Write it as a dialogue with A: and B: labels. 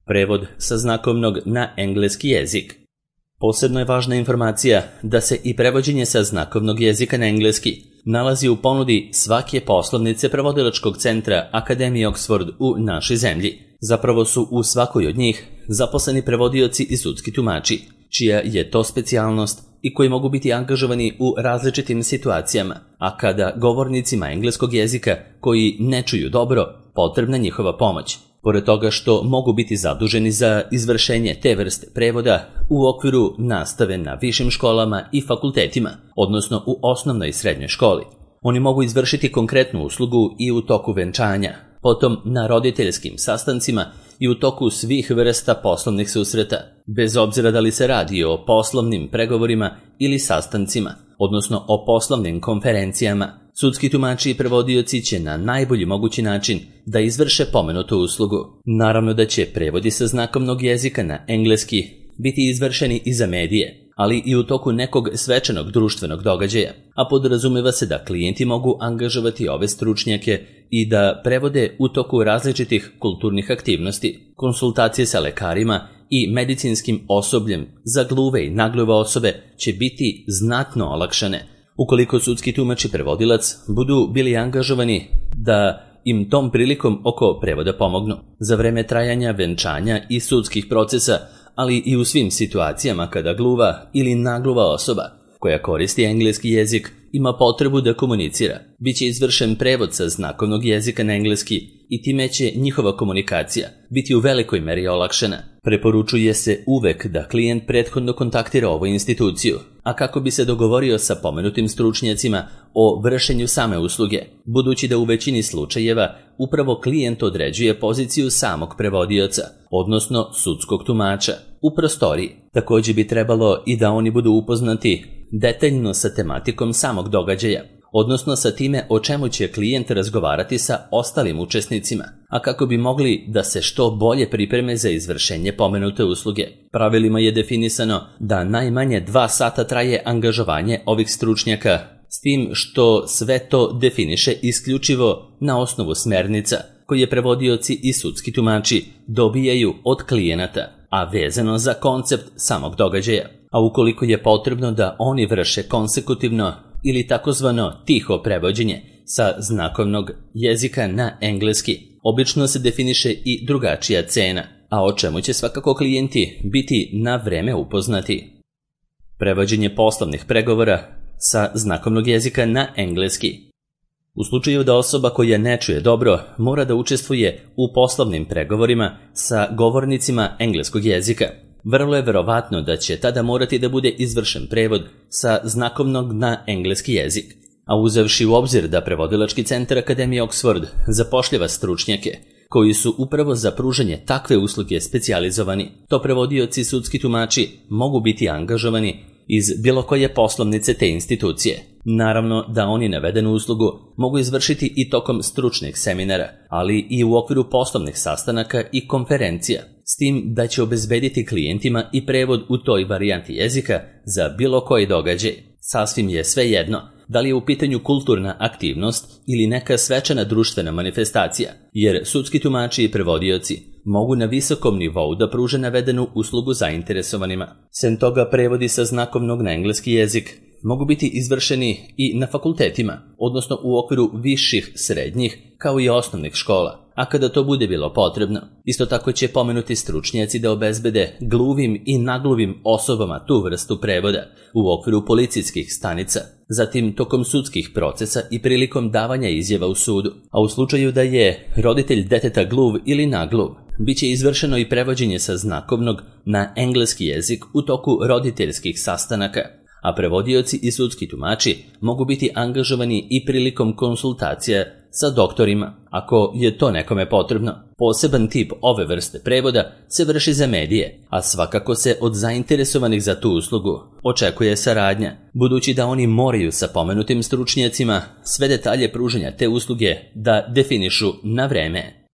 A: Prevod sa znakovnog na engleski jezik. Posebno je važna informacija da se i prevođenje sa znakovnog jezika na engleski nalazi u ponudi svake poslovnice prevodilačkog centra Akademije Oxford u našoj zemlji. Zapravo su u svakoj od njih zaposleni prevodioci i sudski tumači, čija je to specijalnost i koji mogu biti angažovani u različitim situacijama, a kada govornicima engleskog jezika koji ne čuju dobro, potrebna njihova pomoć. Pored toga što mogu biti zaduženi za izvršenje te vrste prevoda u okviru nastave na višim školama i fakultetima, odnosno u osnovnoj i srednjoj školi. Oni mogu izvršiti konkretnu uslugu i u toku venčanja, potom na roditeljskim sastancima i u toku svih vrsta poslovnih susreta, bez obzira da li se radi o poslovnim pregovorima ili sastancima, odnosno o poslovnim konferencijama. Sudski tumači i prevodioci će na najbolji mogući način da izvrše pomenutu uslugu. Naravno da će prevodi sa znakovnog jezika na engleski biti izvršeni i za medije, ali i u toku nekog svečanog društvenog događaja, a podrazumeva se da klijenti mogu angažovati ove stručnjake i da prevode u toku različitih kulturnih aktivnosti, konsultacije sa lekarima i medicinskim osobljem za gluve i nagluve osobe će biti znatno olakšane ukoliko sudski tumač i prevodilac budu bili angažovani da im tom prilikom oko prevoda pomognu. Za vreme trajanja venčanja i sudskih procesa, ali i u svim situacijama kada gluva ili nagluva osoba koja koristi engleski jezik ima potrebu da komunicira, bit će izvršen prevod sa znakovnog jezika na engleski i time će njihova komunikacija biti u velikoj meri olakšana. Preporučuje se uvek da klijent prethodno kontaktira ovu instituciju, a kako bi se dogovorio sa pomenutim stručnjacima o vršenju same usluge, budući da u većini slučajeva upravo klijent određuje poziciju samog prevodioca, odnosno sudskog tumača, u prostoriji. Također bi trebalo i da oni budu upoznati detaljno sa tematikom samog događaja, odnosno sa time o čemu će klijent razgovarati sa ostalim učesnicima, a kako bi mogli da se što bolje pripreme za izvršenje pomenute usluge. Pravilima je definisano da najmanje 2 sata traje angažovanje ovih stručnjaka, s tim što sve to definiše isključivo na osnovu smernica koje prevodioci i sudski tumači dobijaju od klijenata, a vezano za koncept samog događaja. A ukoliko je potrebno da oni vrše konsekutivno ili takozvano tiho prevođenje sa znakovnog jezika na engleski, obično se definiše i drugačija cena, a o čemu će svakako klijenti biti na vreme upoznati. Prevođenje poslovnih pregovora sa znakovnog jezika na engleski. U slučaju da osoba koja ne čuje dobro mora da učestvuje u poslovnim pregovorima sa govornicima engleskog jezika, vrlo je verovatno da će tada morati da bude izvršen prevod sa znakovnog na engleski jezik. A uzevši u obzir da prevodilački centar Akademije Oxford zapošljava stručnjake koji su upravo za pružanje takve usluge specijalizovani, to prevodioci i sudski tumači mogu biti angažovani iz bilo koje poslovnice te institucije. Naravno da oni navedenu uslugu mogu izvršiti i tokom stručnih seminara, ali i u okviru poslovnih sastanaka i konferencija, s tim da će obezbediti klijentima i prevod u toj varijanti jezika za bilo koji događaj. Sasvim je svejedno da li je u pitanju kulturna aktivnost ili neka svečana društvena manifestacija, jer sudski tumači i prevodioci mogu na visokom nivou da pruže navedenu uslugu zainteresovanima. Sem toga, prevodi sa znakovnog na engleski jezik mogu biti izvršeni i na fakultetima, odnosno u okviru viših, srednjih, kao i osnovnih škola, a kada to bude bilo potrebno. Isto tako će pomenuti stručnjaci da obezbede gluvim i nagluvim osobama tu vrstu prevoda u okviru policijskih stanica, zatim tokom sudskih procesa i prilikom davanja izjava u sudu. A u slučaju da je roditelj deteta gluv ili nagluv, bit će izvršeno i prevođenje sa znakovnog na engleski jezik u toku roditeljskih sastanaka, a prevodioci i sudski tumači mogu biti angažovani i prilikom konsultacija sa doktorima, ako je to nekome potrebno. Poseban tip ove vrste prevoda se vrši za medije, a svakako se od zainteresovanih za tu uslugu očekuje saradnja, budući da oni moraju sa pomenutim stručnjacima sve detalje pružanja te usluge da definišu na vreme.